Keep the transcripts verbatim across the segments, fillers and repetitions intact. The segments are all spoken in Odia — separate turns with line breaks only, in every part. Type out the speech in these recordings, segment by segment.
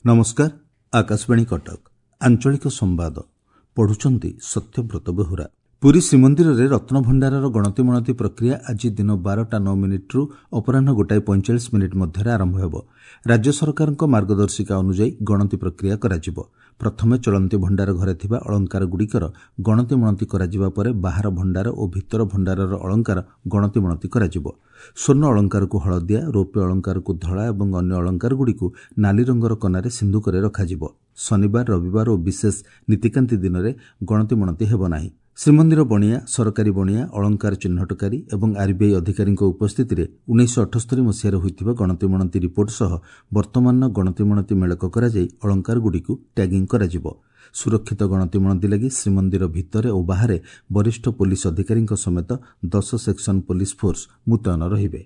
ନମସ୍କାର ଆକାଶବାଣୀ କଟକ ଆଞ୍ଚଳିକ ସମ୍ବାଦ ପଢୁଛନ୍ତି ସତ୍ୟବ୍ରତ ବେହୁରା ପୁରୀ ଶ୍ରୀମନ୍ଦିରରେ ରତ୍ନଭଣ୍ଡାରର ଗଣତିମଣତି ପ୍ରକ୍ରିୟା ଆଜି ଦିନ ବାରଟା ନଅ ମିନିଟ୍ରୁ ଅପରାହ୍ନ ଗୋଟାଏ ପଇଁଚାଳିଶ ମିନିଟ୍ ମଧ୍ୟରେ ଆରମ୍ଭ ହେବ ରାଜ୍ୟ ସରକାରଙ୍କ ମାର୍ଗଦର୍ଶିକା ଅନୁଯାୟୀ ଗଣତି ପ୍ରକ୍ରିୟା କରାଯିବ ପ୍ରଥମେ ଚଳନ୍ତି ଭଣ୍ଡାର ଘରେ ଥିବା ଅଳଙ୍କାରଗୁଡ଼ିକର ଗଣତିମଣତି କରାଯିବା ପରେ ବାହାର ଭଣ୍ଡାର ଓ ଭିତର ଭଣ୍ଡାରର ଅଳଙ୍କାର ଗଣତିମଣତି କରାଯିବ ସ୍ୱର୍ଣ୍ଣ ଅଳଙ୍କାରକୁ ହଳଦିଆ ରୌପ୍ୟ ଅଳଙ୍କାରକୁ ଧଳା ଏବଂ ଅନ୍ୟ ଅଳଙ୍କାରଗୁଡ଼ିକୁ ନାଲି ରଙ୍ଗର କନାରେ ସିନ୍ଧୁକରେ ରଖାଯିବ ଶନିବାର ରବିବାର ଓ ବିଶେଷ ନୀତିକାନ୍ତି ଦିନରେ ଗଣତିମଣତି ହେବ ନାହିଁ ଶ୍ରୀମନ୍ଦିର ବଣିଆ ସରକାରୀ ବଣିଆ ଅଳଙ୍କାର ଚିହ୍ନଟକାରୀ ଏବଂ ଆର୍ବିଆଇ ଅଧିକାରୀଙ୍କ ଉପସ୍ଥିତିରେ ଉଣେଇଶହ ଅଠସ୍ତରୀ ମସିହାରେ ହୋଇଥିବା ଗଣତିମଣତି ରିପୋର୍ଟ ସହ ବର୍ତ୍ତମାନର ଗଣତିମଣତି ମେଳକ କରାଯାଇ ଅଳଙ୍କାରଗୁଡ଼ିକୁ ଟ୍ୟାଗିଂ କରାଯିବ ସୁରକ୍ଷିତ ଗଣତିମଣତି ଲାଗି ଶ୍ରୀମନ୍ଦିର ଭିତରେ ଓ ବାହାରେ ବରିଷ୍ଠ ପୋଲିସ ଅଧିକାରୀଙ୍କ ସମେତ ଦଶ ସେକ୍ସନ ପୋଲିସ ଫୋର୍ସ ମୁତୟନ ରହିବେ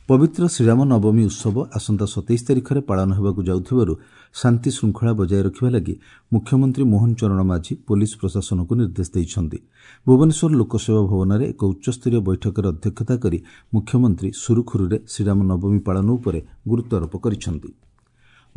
ପବିତ୍ର ଶ୍ରୀରାମ ନବମୀ ଉତ୍ସବ ଆସନ୍ତା ସତେଇଶ ତାରିଖରେ ପାଳନ ହେବାକୁ ଯାଉଥିବାରୁ ଶାନ୍ତି ଶୃଙ୍ଖଳା ବଜାୟ ରଖିବା ଲାଗି ମୁଖ୍ୟମନ୍ତ୍ରୀ ମୋହନ ଚରଣ ମାଝୀ ପୋଲିସ ପ୍ରଶାସନକୁ ନିର୍ଦ୍ଦେଶ ଦେଇଛନ୍ତି ଭୁବନେଶ୍ୱର ଲୋକସେବା ଭବନରେ ଏକ ଉଚ୍ଚସ୍ତରୀୟ ବୈଠକରେ ଅଧ୍ୟକ୍ଷତା କରି ମୁଖ୍ୟମନ୍ତ୍ରୀ ସୁରୁଖୁରୁରେ ଶ୍ରୀରାମ ନବମୀ ପାଳନ ଉପରେ ଗୁରୁତ୍ୱାରୋପ କରିଛନ୍ତି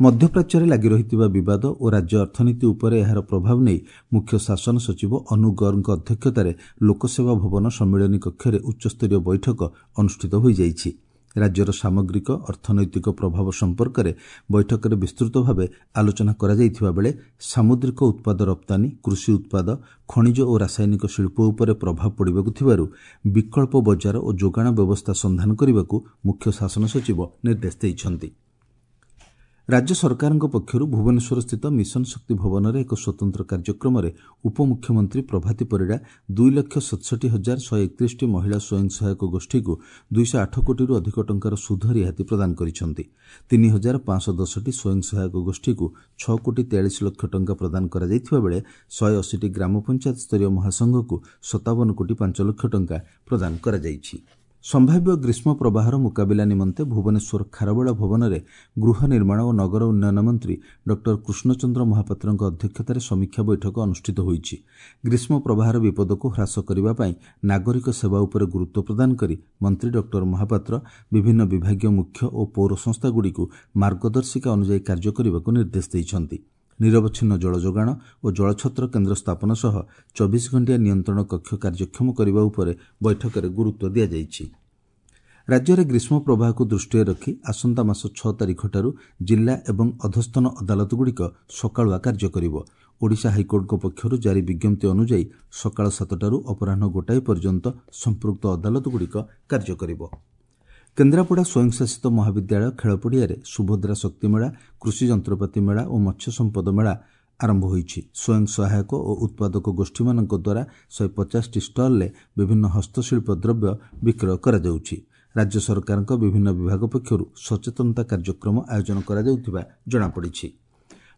ମଧ୍ୟପ୍ରାଚ୍ୟରେ ଲାଗି ରହିଥିବା ବିବାଦ ଓ ରାଜ୍ୟ ଅର୍ଥନୀତି ଉପରେ ଏହାର ପ୍ରଭାବ ନେଇ ମୁଖ୍ୟ ଶାସନ ସଚିବ ଅନୁ ଗର୍ଗଙ୍କ ଅଧ୍ୟକ୍ଷତାରେ ଲୋକସେବା ଭବନ ସମ୍ମିଳନୀ କକ୍ଷରେ ଉଚ୍ଚସ୍ତରୀୟ ବୈଠକ ଅନୁଷ୍ଠିତ ହୋଇଯାଇଛି ରାଜ୍ୟର ସାମଗ୍ରିକ ଅର୍ଥନୈତିକ ପ୍ରଭାବ ସମ୍ପର୍କରେ ବୈଠକରେ ବିସ୍ତୃତ ଭାବେ ଆଲୋଚନା କରାଯାଇଥିବା ବେଳେ ସାମୁଦ୍ରିକ ଉତ୍ପାଦ ରପ୍ତାନୀ କୃଷି ଉତ୍ପାଦ ଖଣିଜ ଓ ରାସାୟନିକ ଶିଳ୍ପ ଉପରେ ପ୍ରଭାବ ପଡ଼ିବାକୁ ଥିବାରୁ ବିକଳ୍ପ ବଜାର ଓ ଯୋଗାଣ ବ୍ୟବସ୍ଥା ସନ୍ଧାନ କରିବାକୁ ମୁଖ୍ୟ ଶାସନ ସଚିବ ନିର୍ଦ୍ଦେଶ ଦେଇଛନ୍ତି ରାଜ୍ୟ ସରକାରଙ୍କ ପକ୍ଷରୁ ଭୁବନେଶ୍ୱରସ୍ଥିତ ମିଶନ ଶକ୍ତି ଭବନରେ ଏକ ସ୍ୱତନ୍ତ୍ର କାର୍ଯ୍ୟକ୍ରମରେ ଉପମୁଖ୍ୟମନ୍ତ୍ରୀ ପ୍ରଭାତୀ ପରିଡ଼ା ଦୁଇ ଲକ୍ଷ ସତଷଠି ହଜାର ଶହେ ଏକତିରିଶଟି ମହିଳା ସ୍ୱୟଂ ସହାୟକ ଗୋଷ୍ଠୀକୁ ଦୁଇଶହ ଆଠ କୋଟିରୁ ଅଧିକ ଟଙ୍କାର ସୁଧ ରିହାତି ପ୍ରଦାନ କରିଛନ୍ତି ତିନି ହଜାର ପାଞ୍ଚଶହ ଦଶଟି ସ୍ୱୟଂ ସହାୟକ ଗୋଷ୍ଠୀକୁ ଛଅ କୋଟି ତେୟାଳିଶ ଲକ୍ଷ ଟଙ୍କା ପ୍ରଦାନ କରାଯାଇଥିବା ବେଳେ ଶହେ ଅଶୀଟି ଗ୍ରାମ ପଞ୍ଚାୟତ ସ୍ତରୀୟ ମହାସଂଘକୁ ସତାବନ କୋଟି ପାଞ୍ଚ ଲକ୍ଷ ଟଙ୍କା ପ୍ରଦାନ କରାଯାଇଛି ସମ୍ଭାବ୍ୟ ଗ୍ରୀଷ୍ମ ପ୍ରବାହର ମୁକାବିଲା ନିମନ୍ତେ ଭୁବନେଶ୍ୱର ଖାରବେଳ ଭବନରେ ଗୃହ ନିର୍ମାଣ ଓ ନଗର ଉନ୍ନୟନ ମନ୍ତ୍ରୀ ଡକ୍ଟର କୃଷ୍ଣଚନ୍ଦ୍ର ମହାପାତ୍ରଙ୍କ ଅଧ୍ୟକ୍ଷତାରେ ସମୀକ୍ଷା ବୈଠକ ଅନୁଷ୍ଠିତ ହୋଇଛି ଗ୍ରୀଷ୍ମ ପ୍ରବାହର ବିପଦକୁ ହ୍ରାସ କରିବା ପାଇଁ ନାଗରିକ ସେବା ଉପରେ ଗୁରୁତ୍ୱ ପ୍ରଦାନ କରି ମନ୍ତ୍ରୀ ଡକ୍ଟର ମହାପାତ୍ର ବିଭିନ୍ନ ବିଭାଗୀୟ ମୁଖ୍ୟ ଓ ପୌର ସଂସ୍ଥାଗୁଡ଼ିକୁ ମାର୍ଗଦର୍ଶିକା ଅନୁଯାୟୀ କାର୍ଯ୍ୟ କରିବାକୁ ନିର୍ଦ୍ଦେଶ ଦେଇଛନ୍ତି ନିରବଚ୍ଛିନ୍ନ ଜଳ ଯୋଗାଣ ଓ ଜଳଛତ୍ର କେନ୍ଦ୍ର ସ୍ଥାପନ ସହ ଚବିଶ ଘଣ୍ଟିଆ ନିୟନ୍ତ୍ରଣ କକ୍ଷ କାର୍ଯ୍ୟକ୍ଷମ କରିବା ଉପରେ ବୈଠକରେ ଗୁରୁତ୍ୱ ଦିଆଯାଇଛି ରାଜ୍ୟରେ ଗ୍ରୀଷ୍ମ ପ୍ରବାହକୁ ଦୃଷ୍ଟିରେ ରଖି ଆସନ୍ତା ମାସ ଛଅ ତାରିଖଠାରୁ ଜିଲ୍ଲା ଏବଂ ଅଧସ୍ତନ ଅଦାଲତଗୁଡ଼ିକ ସକାଳୁଆ କାର୍ଯ୍ୟ କରିବ ଓଡ଼ିଶା ହାଇକୋର୍ଟଙ୍କ ପକ୍ଷରୁ ଜାରି ବିଜ୍ଞପ୍ତି ଅନୁଯାୟୀ ସକାଳ ସାତଟାରୁ ଅପରାହ୍ନ ଗୋଟାଏ ପର୍ଯ୍ୟନ୍ତ ସମ୍ପୃକ୍ତ ଅଦାଲତଗୁଡ଼ିକ କାର୍ଯ୍ୟ କରିବ କେନ୍ଦ୍ରାପଡ଼ା ସ୍ୱୟଂଶାସିତ ମହାବିଦ୍ୟାଳୟ ଖେଳପଡ଼ିଆରେ ସୁଭଦ୍ରା ଶକ୍ତି ମେଳା କୃଷି ଯନ୍ତ୍ରପାତି ମେଳା ଓ ମତ୍ସ୍ୟ ସମ୍ପଦ ମେଳା ଆରମ୍ଭ ହୋଇଛି ସ୍ୱୟଂ ସହାୟକ ଓ ଉତ୍ପାଦକ ଗୋଷ୍ଠୀମାନଙ୍କ ଦ୍ୱାରା ଶହେ ପଚାଶଟି ଷ୍ଟଲ୍ରେ ବିଭିନ୍ନ ହସ୍ତଶିଳ୍ପ ଦ୍ରବ୍ୟ ବିକ୍ରୟ କରାଯାଉଛି ରାଜ୍ୟ ସରକାରଙ୍କ ବିଭିନ୍ନ ବିଭାଗ ପକ୍ଷରୁ ସଚେତନତା କାର୍ଯ୍ୟକ୍ରମ ଆୟୋଜନ କରାଯାଉଥିବା ଜଣାପଡ଼ିଛି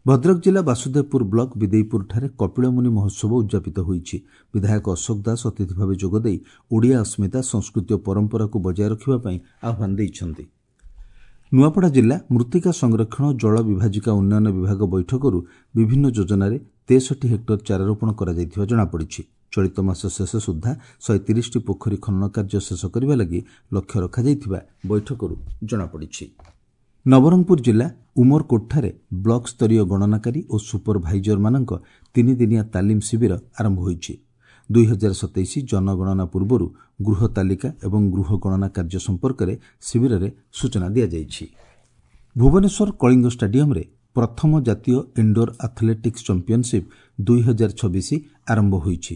ଭଦ୍ରକ ଜିଲ୍ଲା ବାସୁଦେବପୁର ବ୍ଲକ ବିଦେଇପୁରଠାରେ କପିଳମୁନି ମହୋତ୍ସବ ଉଦ୍ଯାପିତ ହୋଇଛି ବିଧାୟକ ଅଶୋକ ଦାସ ଅତିଥି ଭାବେ ଯୋଗଦେଇ ଓଡ଼ିଆ ଅସ୍ମିତା ସଂସ୍କୃତି ଓ ପରମ୍ପରାକୁ ବଜାୟ ରଖିବା ପାଇଁ ଆହ୍ୱାନ ଦେଇଛନ୍ତି ନୂଆପଡ଼ା ଜିଲ୍ଲା ମୃତ୍ତିକା ସଂରକ୍ଷଣ ଓ ଜଳ ବିଭାଜିକା ଉନ୍ନୟନ ବିଭାଗ ବୈଠକରୁ ବିଭିନ୍ନ ଯୋଜନାରେ ତେଷଠି ହେକ୍ଟର ଚାରାରୋପଣ କରାଯାଇଥିବା ଜଣାପଡ଼ିଛି ଚଳିତ ମାସ ଶେଷ ସୁଦ୍ଧା ଶହେ ତିରିଶଟି ପୋଖରୀ ଖନନ କାର୍ଯ୍ୟ ଶେଷ କରିବା ଲାଗି ଲକ୍ଷ୍ୟ ରଖାଯାଇଥିବା ବୈଠକରୁ ଜଣାପଡ଼ିଛି ନବରଙ୍ଗପୁର ଜିଲ୍ଲା ଉମରକୋଟଠାରେ ବ୍ଲକ ସ୍ତରୀୟ ଗଣନାକାରୀ ଓ ସୁପରଭାଇଜରମାନଙ୍କ ତିନିଦିନିଆ ତାଲିମ ଶିବିର ଆରମ୍ଭ ହୋଇଛି ଦୁଇ ହଜାର ସତେଇଶ ଜନଗଣନା ପୂର୍ବରୁ ଗୃହ ତାଲିକା ଏବଂ ଗୃହ ଗଣନା କାର୍ଯ୍ୟ ସମ୍ପର୍କରେ ଶିବିରରେ ସୂଚନା ଦିଆଯାଇଛି ଭୁବନେଶ୍ୱର କଳିଙ୍ଗ ଷ୍ଟାଡିୟମରେ ପ୍ରଥମ ଜାତୀୟ ଇଣ୍ଡୋର ଆଥଲେଟିକ୍ସ ଚାମ୍ପିୟନସିପ୍ ଦୁଇ ହଜାର ଛବିଶ ଆରମ୍ଭ ହୋଇଛି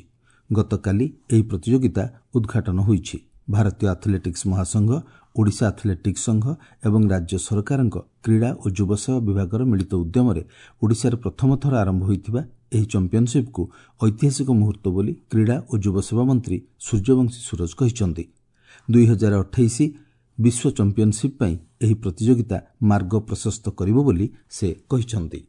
ଗତକାଲି ଏହି ପ୍ରତିଯୋଗିତା ଉଦ୍ଘାଟନ ହୋଇଛି ଭାରତୀୟ ଆଥଲେଟିକ୍ସ ମହାସଂଘ ଓଡ଼ିଶା ଆଥଲେଟିକ୍ସ ସଂଘ ଏବଂ ରାଜ୍ୟ ସରକାରଙ୍କ କ୍ରୀଡ଼ା ଓ ଯୁବସେବା ବିଭାଗର ମିଳିତ ଉଦ୍ୟମରେ ଓଡ଼ିଶାରେ ପ୍ରଥମ ଥର ଆରମ୍ଭ ହୋଇଥିବା ଏହି ଚାମ୍ପିୟନସିପ୍କୁ ଐତିହାସିକ ମୁହୂର୍ତ୍ତ ବୋଲି କ୍ରୀଡ଼ା ଓ ଯୁବସେବା ମନ୍ତ୍ରୀ ସୂର୍ଯ୍ୟବଂଶୀ ସୂରଜ କହିଛନ୍ତି ଦୁଇ ହଜାର ଅଠେଇଶ ବିଶ୍ୱ ଚାମ୍ପିୟନସିପ୍ ପାଇଁ ଏହି ପ୍ରତିଯୋଗିତା ମାର୍ଗ ପ୍ରଶସ୍ତ କରିବ ବୋଲି ସେ କହିଛନ୍ତି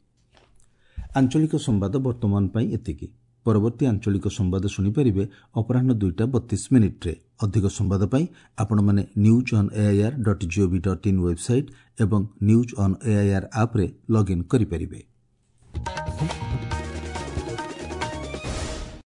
ଆଞ୍ଚଳିକ ସମ୍ବାଦ ବର୍ତ୍ତମାନ ପାଇଁ ଏତିକି ପରବର୍ତ୍ତୀ ଆଞ୍ଚଳିକ ସମ୍ବାଦ ଶୁଣିପାରିବେ ଅପରାହ୍ନ ଦୁଇଟା ବତିଶ ମିନିଟ୍ରେ ଅଧିକ ସମ୍ବାଦ ପାଇଁ ଆପଣମାନେ news on AIR dot gov dot in website ଏବଂ ନ୍ୟୁଜ୍ ଅନ୍ ଏଆଇଆର୍ ଆପ୍ରେ ଲଗ୍ଇନ୍ କରିପାରିବେ